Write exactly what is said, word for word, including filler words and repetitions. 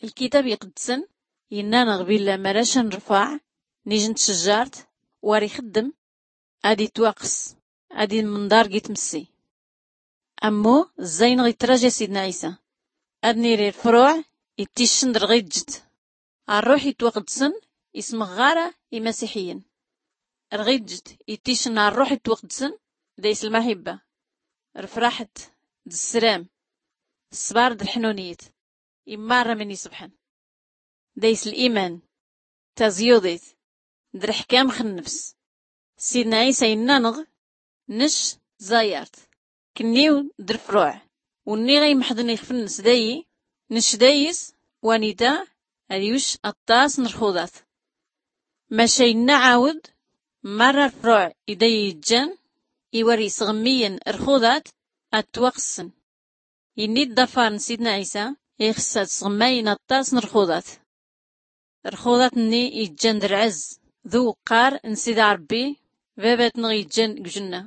Lkitab iqeddsen inna-nɣ billah marac a nrfaɛ nijn tcjjart, war ixeddem ad itwaqes, ad imnḍar gi tmssi. Ammu zzay-nɣ itraja sidna ɛisa, ad niri rfruɛ itticcn d rɣijt. Rruḥ itwaqeddsen ismɣɣar imasiḥiyyin. Rɣijt itticcn rruḥ itwaqeddsen, days lmaḥibba, rfraḥt, d ssram, ṣṣbar d lḥnunyt, immarra min isbḥn, days liman, taẓyuḍit, d rḥkam x nnfs. Sidna ɛisa inna-nɣ, nec tẓayart, knniw d rfruɛ. Wnniɣ a imḥḍn ixf-nns dayi, nec days, wanita, ad iwc aṭṭas n rxuḍat. Maca inna ɛawd, marra rfruɛ i dayi ijjan, i war isɣmmiyyn rxuḍat, ad twaqessn. Inni-d ḍafar n sidna ɛisa ixs ad sɣmmayyn aṭṭas n rxuḍat. Rxuḍat-nni ijjan d rɛzz d uwqqar n sida rbbi, babat-nɣ ijjan g jnna.